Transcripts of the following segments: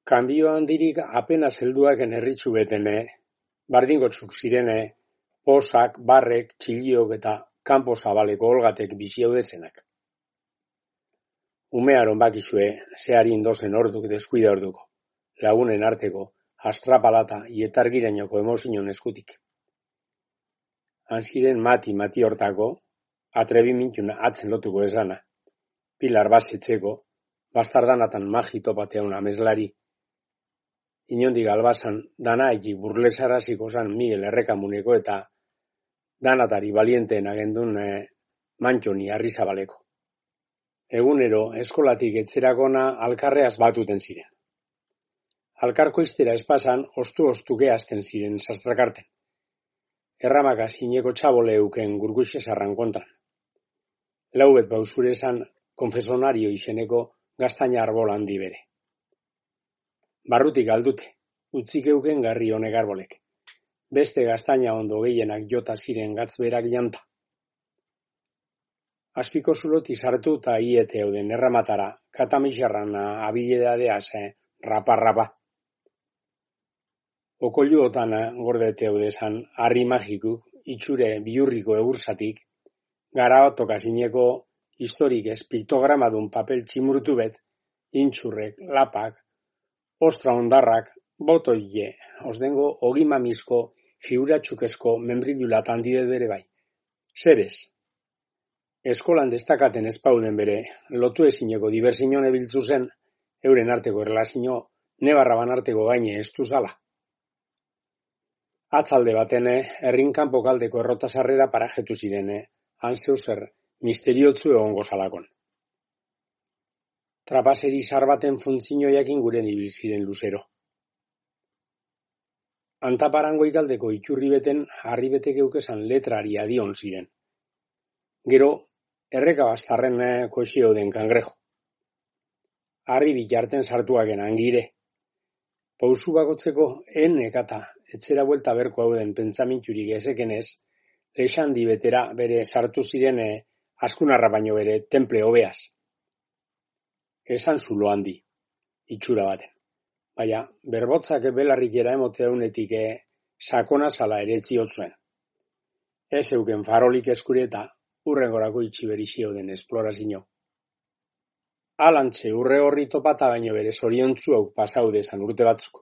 Kanbio handirik apenas helduaken erritzu betene, bardingotzuk zirene, posak, barrek, txiliok eta kanpo zabaleko olgatek biziaudezenak. Umearon bakizue, zeari indozen orduk deskuida orduko, lagunen arteko, astrapalata ietargirainoko emozinon eskutik. Hanziren mati hortako, atrebimintuna atzen lotuko esana, Pilar basetzeko, bastardanatan magi topateun ameslari, inondik albasan dana egik burlesaraziko zan Miguel Errekamuneko eta danatari balienteen agendun Mantxoni Arrizabaleko. Egunero eskolatik etzerakona alkarreaz batuten ziren. Alkarko iztera espasan ostu-ostuke hasten ziren sastrakarten. Erramaka zineko txabole euken gurguxesarran kontan. Laubet bauzurezan konfesonario izeneko gaztaina arbol handi bere. Barrutik aldute, utzik euken garri honek arbolek. Beste gaztaina ondo gehienak jota ziren gatzberak janta. Azpiko zuloti sartu eta iete euden erramatara, katamixarrana abiledadeaz, rapa. Okolluotan gordete eudezan, harri magikuk, itxure bihurriko egursatik, garabatok zineko historik ez piktogramadun papel tximurtu bet, intxurrek, lapak, ostra ondarrak, botoile, osdengo ogimamizko, figuratxukezko membrillulat handide bere bai. Zerez? Eskolan destakaten espauden bere, lotu ezineko diversiñone biltzu zen, euren arteko erlazio, nebarraban arteko gaine estu zala. Atzalde batene, herrinkanpo kaldeko errotasarrera parajetu zirene, hanzeu zer, misteriotzu egongo zalakon. Trapaseri sarbaten funtzinoiakin guren ibil ziren luzero. Antaparango ikaldeko iturri beten harri betek eukesan letrari adion ziren. Gero, erreka bastarren koxio den kangrejo. Harri bitarten sartuaken angire. Pausu bakotzeko ekata, etzera buelta berko hauden pentsaminturik ezekenez, lexandi betera bere sartu ziren askunarra baino bere temple hobeaz. Esan zulo handi, itxura baten. Baina, berbotzak belarrikera emoteunetik sakona zala ere ziotzuen. Ez euken farolik eskureta, urrengorako itxiberixio den esplorazio. Alantxe urre horri topata baino bere zoriontzu hau pasaudezan urte batzuk.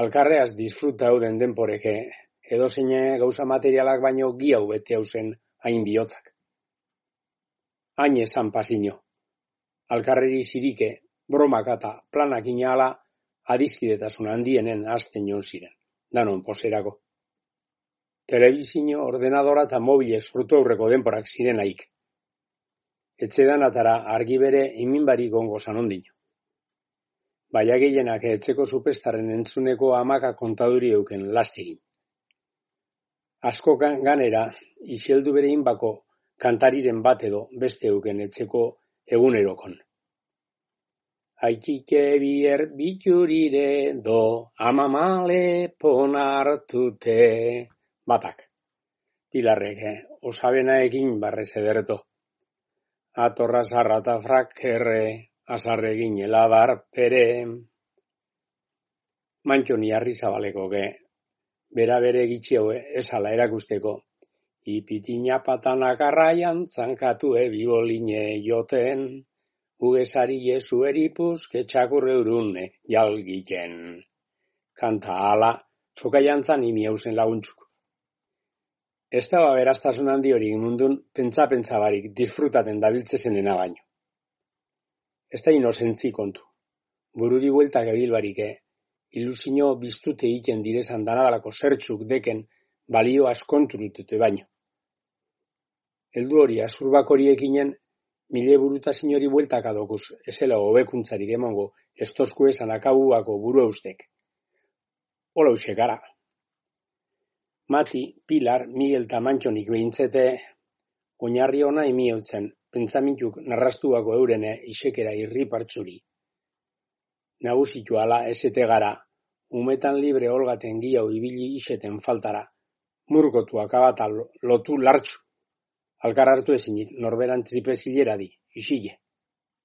Alkarreaz disfruta hauden denporeke, edozein gauza materialak baino giau bete hauzen hain bihotzak. Hain esan pasino. Alkarreri zirike, bromak eta planak inala adizkidetasun handienen azten jon ziren, danon poserako. Telebizio, ordenadora eta mobile sortu aurreko denporak ziren haik. Etxedanatara argi bere iminbarik ongo zanondino. Baina gehienak etxeko supestaren entzuneko amaka kontaduri euken lastegin. Asko ganera, iseldu bere inbako kantariren bat edo beste euken etxeko egunerokon. Aikike bier biturire do, amamale ponartute. Batak, Pilarrek, osabenaekin barrez ederto. Atorra zarrata frakerre, azarregin helabar pere. Mantxoni Arrizabaleko bera bere gitxio esala erakusteko. Ipitina patanak arraian zankatu biboline joten, ugesari jesu eripuz ketxakurre urune jalgiken. Kanta ala, txokaiantzan imi hausen laguntzuk. Ez da beraztasun handi hori mundun pentsa barik disfrutaten dabiltzezenena baino. Ez da inozentzi kontu. Bururi bueltak ebilbarik, ilusio biztute egiten direzan danadalako zertxuk deken balio askonturutute baino. Heldu hori azurbak horiekinen mile burutazin hori bueltak adokuz, ezela hobekuntzarik emongo estosku esan akabuako buru eustek. Hola usekara. Mati, Pilar, Miguel eta Mantxonik behintzete, oinarri ona imieutzen, pentsamintuk narrastuako eurene isekera irripartzuri. Nagusitu ala esete gara, umetan libre olgaten giau ibili iseten faltara, murgotuak abata lotu lartzu, alkar hartu ezinit norberan tripezilera di, isile.